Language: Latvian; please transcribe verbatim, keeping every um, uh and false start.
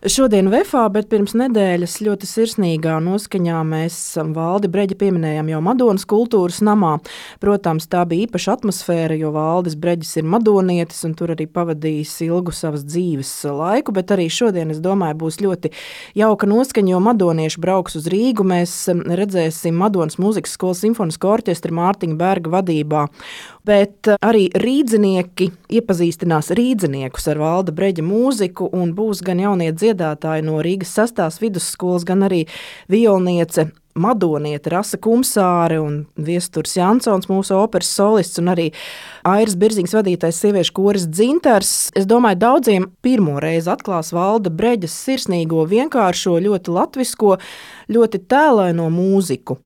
Šodien Vefā, bet pirms nedēļas ļoti sirsnīgā noskaņā mēs Valdi Breģi pieminējām jau Madonas kultūras namā. Protams, tā bija īpaša atmosfēra, jo Valdis Breģis ir madonietis un tur arī pavadījis ilgu savas dzīves laiku, bet arī šodien, es domāju, būs ļoti jauka noskaņa, jo madonieši brauks uz Rīgu. Mēs redzēsim Madonas mūzikas skolas simfonisko orķestri Mārtiņa Berga vadībā. Bet arī rīdzinieki iepazīstinās rīdziniekus ar Valda Breģa mūziku un būs gan jaunie dziedātāji no Rīgas sastās vidusskolas, gan arī violniece madoniete Rasa Kumsāre un Viesturs Jansons, mūsu operas solists, un arī Airas Birziņas vadītais sieviešu koris Dzintars. Es domāju, daudziem pirmo reizi atklās Valda Breģas sirsnīgo, vienkāršo, ļoti latvisko, ļoti tēlaino mūziku.